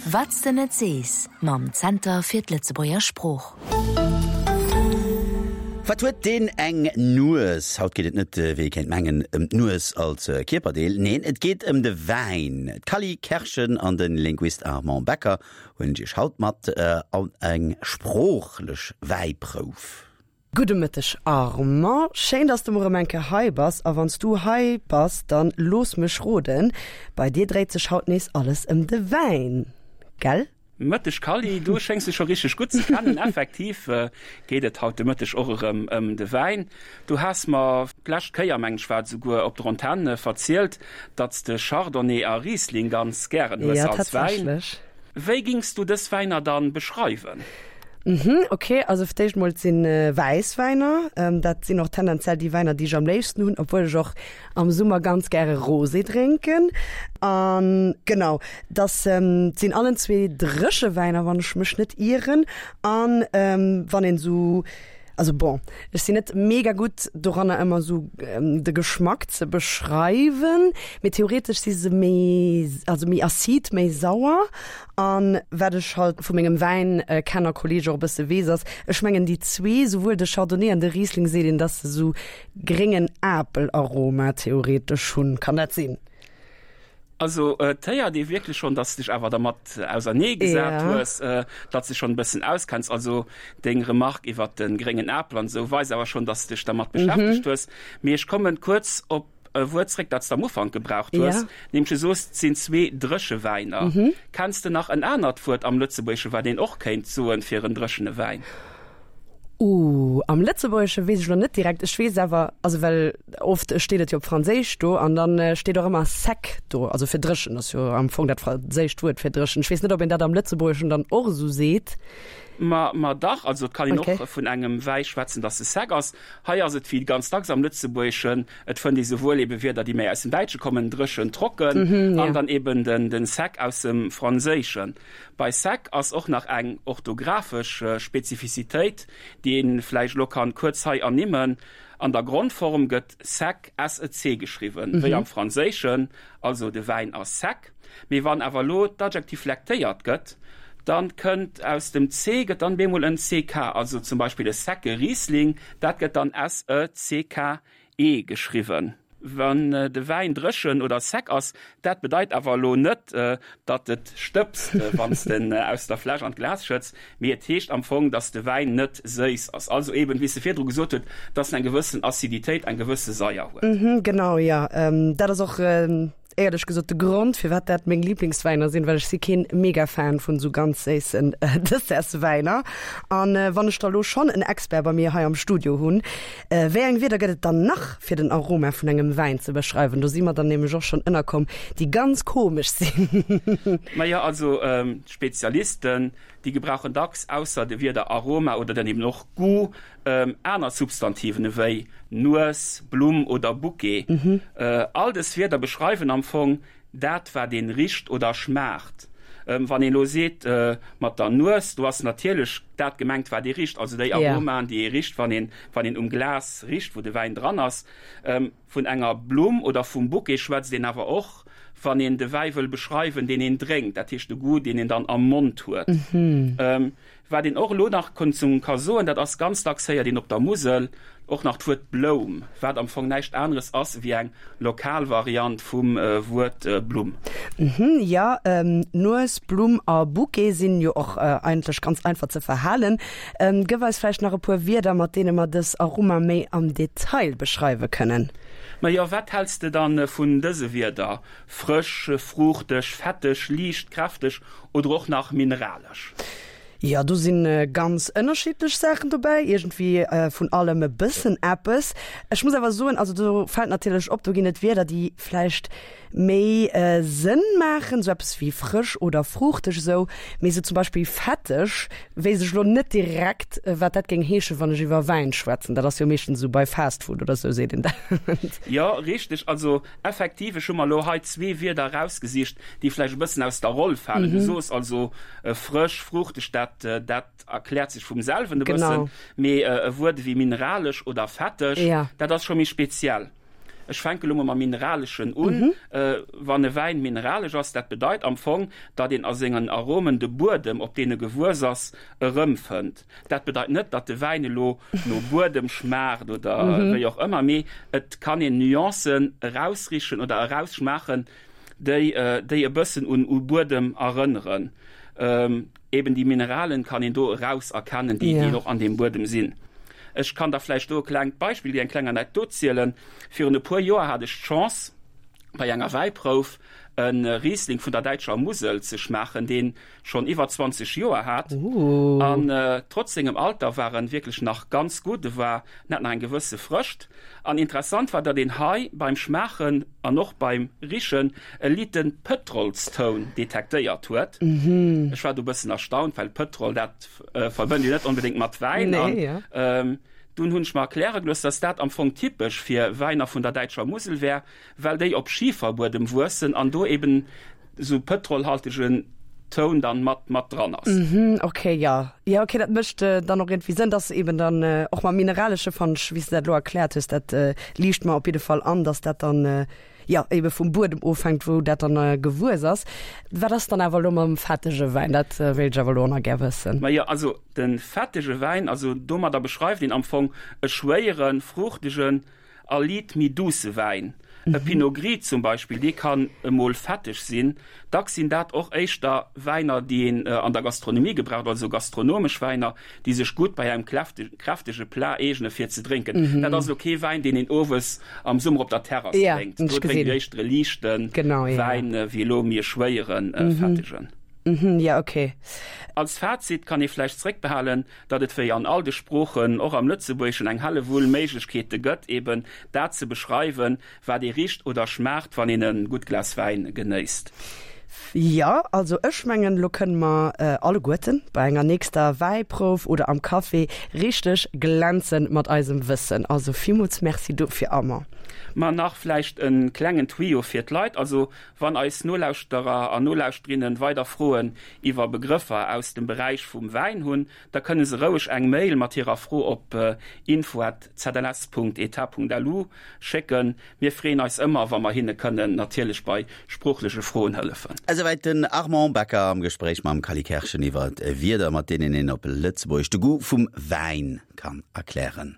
Wat s de net sees mam Zenter fir d'Lëtzebuerger Sprooch. Wat huet deen eng Nues? Haut geet et net, wéi ee kéint mengen, ëm d'Nues als Kierperdeel. Neen, et geet ëm de Wäin. D'Cally Kerschen an de Linguist Armand Becker huelen Iech haut mat an eng sproochlech Wäiprouf. Gudde Mëtteg Armand, schéin dass de mol erëm eng Kéier hei bass. A wann s du hei bass, dann looss mech roden, bei dir dréit sech haut nees alles ëm de Wäin, gell? Mëtteg Kally, du schéngs dech scho richteg gutt ze kennen. Effektiv geet et haut de Mëtteg och erëm ëm de Wäin. Du has mer d'lescht Kéier, mengen ech war et esouguer, op der Antenn verzielt, datt s de Chardonnay a Riesling ganz gären hues Ja, als Wäin. tatsächlech. Wéi gings du dës Wäiner dann beschreiwen? Mhm, ok, also fir d'éischt mol, et sinn wäiss Wäiner, dat sinn och tendenziell déi Wäiner déi ech am léifsten hunn, obwuel ech och am Summer ganz gäre Rosé drénken. An genau, dass sinn allen zwee dréche Wäiner, wann ech mech net ieren. An wann een esou Also bon, ech sinn net mega gutt doranner ëmmer sou de Geschmack ze beschreiwen, mee theoretesch si se méi, also méi acide, méi sauer. An wat ech halt vu mengem Wäinkenner-Kolleeg och e bësse weess ass, ech mengen déi zwee, souwuel de Chardonnay an de Riesling seet een, dass se sou gréngen Apelaroma theoretesch hunn. Kann dat sinn? Also et héiert ee wierklech schonn, dass de dech awer dermat ausernee gesat hues, datt s de schonn e bëssen auskenns. Also deng Remark iwwert de gréngen Apel an esou weist awer schonn, dass de dech dermat beschäftegt hues. Mee ech kommen kuerz op e Wuert zréck, dat s de am Ufank gebraucht hues, nämlech du soos, et sinn zwee dréche Wäiner. Kenns de nach en anert Wuert am Lëtzebuergesche wat een och kéint soen fir en dréchene Wäin? Ooh, am Lëtzebuergesche weess ech elo net direkt. Ech weess awer, also well oft steet et jo op Franséisch do an dann steet och ëmmer sec do, also fir dréchen ass jo am Fong dat franséischt Wuert fir dréchen. Ech weess net, ob een dat am Lëtzebuergeschen dann och esou seet. Ma, ma dach, also et kann een och vun engem Wäi schwätzen, dass e sec ass. Hei ass et wéi ganz dacks am Lëtzebuergeschen, et fënnt ee souwuel ebe Wierder, déi méi aus dem Däitsche kommen, dréchen, trocken, an dann eben den, den sec aus dem Franséischen. Bei sec ass och nach eng orthografesch Spezifizitéit, déi een vläicht elo kann kuerz hei ernimmen, An der Grondform gëtt sec, s-e-c, geschriwwen, wéi am Franséischen, also de Wäin ass sec. Mee wann awer elo d'Adjektiv flektéiert gëtt, dann kënnt aus dem c gëtt dann bemol en ck, also zum Beispill e secke Riesling, dat gëtt dann s-e-c-k E geschriwwen. Wann de Wäin dréchen oder sec ass, dat bedeit awer elo net, datt et stëbst, wann s de en aus der Fläsch an d'Glas schëtts, mee et heescht am Fong, datt de Wäin net séiss ass. Also eben, wéi s de virdru gesot huet, datt en eng gewëssen Aciditéit, eng gewësse Saier huet. Genau, jo. Dat ass och Éierlech gesot de Grond firwat dat meng Lieblingswäiner sinn, well ech si keen Mega-Fan vun esou ganz séissen Dessertswäiner. An wann ech da lo schonn en Expert bei mir hei am Studio hunn, wéi eng Wierder gëtt et dann nach fir den Aroma vun engem Wäin ze beschreiwen? Do si mer dann nämlech och schonn ënnerkomm, déi ganz komesch sinn. Majo, also d'Spezialisten, déi gebrauchen dacks ausser de Wierder Aroma oder dann eben och Goût Aner Substantiven ewéi Nues, Blumm oder Bouquet. All dës Wierder beschreiwen am Fong dat, wat een richt oder schmaacht. Wann een elo seet mat der Nues, do ass natierlech dat gemengt, wat ee richt, also déi Aromaen, déi ee richt, wann een, wann een um Glas richt, wou de Wäin dran ass. Vun enger Blumm oder vum Bouquet schwätzt een awer och, wann een de Wäi wëll beschreiwen, deen een drénkt, dat heescht de Goût, deen een dann am Mond huet. Wat een och elo nach ka soen, dat ass, ganz dacks héiert een op der Musel och nach d'Wuert Bloum, wat am Fong näischt aneres ass ewéi eng lokal Variant vum Wuert Blumm. Jo, Nues, Blumm a Bouquet sinn jo och eigentlech ganz einfach ze verhalen. Gëff eis vläicht nach e puer Wierder, mat deene mer dës Aroma méi am Detail beschreiwe kënnen. Majo, wat häls de dann vun dëse Wierder, frësch, fruuchteg, fetteg, liicht, kräfteg oder och nach mineralesch? Jo, do si ganz ënnerschiddlech Saachen dobäi, iergendwéi vun allem e bëssen eppes. Ech muss awer soen, also do fält natierlech op, do ginn et Wierder, déi vläicht méi Sënn maachen, sou eppes wéi frësch oder fruuchteg esou, mee sou zum Beispill fetteg weess ech elo net direkt, wat dat géing heeschen, wann ech iwwer Wäin schwätzen. Dat ass jo meeschtens esou bei Fast Food oder sou seet een dat. Jo, richteg. Also Effektiv, ech hu mer elo hei zwee Wierder erausgesicht, déi vläicht e bëssen aus der Roll falen. Du soos also frësch, fruuchteg, dat, dat erkläert sech vum selwen e bëssen. Mee e Wuert ewéi mineralesch oder fetteg, dat ass scho méi speziell. Ech fänke lo mol mam Mineraleschen un. Wann e Wäin mineralesch ass, dat bedeit am Fong, datt een a sengen Aromen de Buedem, op deen e gewuess ass, erëmfënnt. Dat bedeit net, datt de Wäin elo no Buedem schmaacht oder wéi och ëmmer, mee et kann een Nuancen erausrichen oder erausschmaachen, déi déi e bëssen un u Buedem erënneren. Eben déi Mineralen kann een do eraus erkennen, déi déi och an deem Buedem sinn. Ech kann der vläicht do e klengt Beispill, eng kleng Anekdot zielen. Virun e puer Joer hat ech d'Chance, bei enger Wäiprouf e Riesling vun der däitscher Musel ze schmaachen, deen schonn iwwer 20 Joer hat. An trotz sengem Alter war en wierklech nach ganz gutt, e war, en hat nach eng gewësse Frëscht. An interessant war, datt een hei beim Schmaachen an och beim Richen e liite Pëtrolstoun detektéiert huet. Ech war do e bëssen erstaunt, well Pëtrol, dat verbënnt een net onbedéngt mat Wäin. An dunn hunn ech mer erkläre gelooss, datt dat am Fong typesch fir Wäiner vun der däitscher Musel wär, well déi op Schiferbuedem wuessen an do eben esou pëtrolhaltegen Toun dann mat mat dran ass. Mhm, okay, jo. Jo, okay, dat mécht dann och iergendwéi Sënn, dass eben dann och mam Mineralesche, fannen ech, wéi s de dat elo erkläert hues, dat liicht mer op jidde Fall an, dass dat dann, jo, ebe vum Buedem ofhänkt, wou dat dann gewuess ass. Wat ass dann awer elo mam fettege Wäin? Dat wéilt ech awer elo och nach gär wëssen. Majo, also de fettege Wäin, also domadder beschreift een am Fong e schwéieren, fruuchtegen, A liit méi douce Wäin, e Pinot Gris zum Beispill, dee kann emol fetteg sinn. Dacks sinn dat och éischter Wäiner, déi een an der Gastronomie gebraucht, also gastronomesch Wäiner, déi sech gutt bei engem kräftege Plat eegene fir ze drénken. Dat ass elo kee Wäin, deen een owes am Summer op der Terrass drénkt. Do drénkt een éischter e liichte Wäin wéi elo méi e schwéieren, fettegen. Als Fazit kann ee vläicht zréckbehalen, datt et wéi an all de Sproochen, och am Lëtzebuergeschen, eng Hellewull Méiglechkeete gëtt, eben dat ze beschreiwen, wat ee richt oder schmaacht, wann een e gutt Glas Wäin genéisst. Jo, also ech mengen, elo kënne mer alleguerten bei enger nächster Wäiprouf oder am Café richteg glänzen mat eisem Wëssen. Also villmools Merci dofir, Armand. Ma nach vläicht e klengen Tuyau fir d'Leit, also wann eis Nolauschterer an Nolauschterinnen weider Froen iwwer Begrëffer aus dem Beräich vum Wäin hunn, da kënne se roueg eng Mail mat hirer Fro op info@zls.etat.lu schécken. Mir freeën eis ëmmer, wa mer hinne kënnen natierlech bei sproochleche Froen hëllefen. Esouwäit den Armand Becker am Gespréich mam Cally Kerschen iwwer Wierder, mat deenen een op Lëtzebuergesch de Goût vum Wäin kann erklären.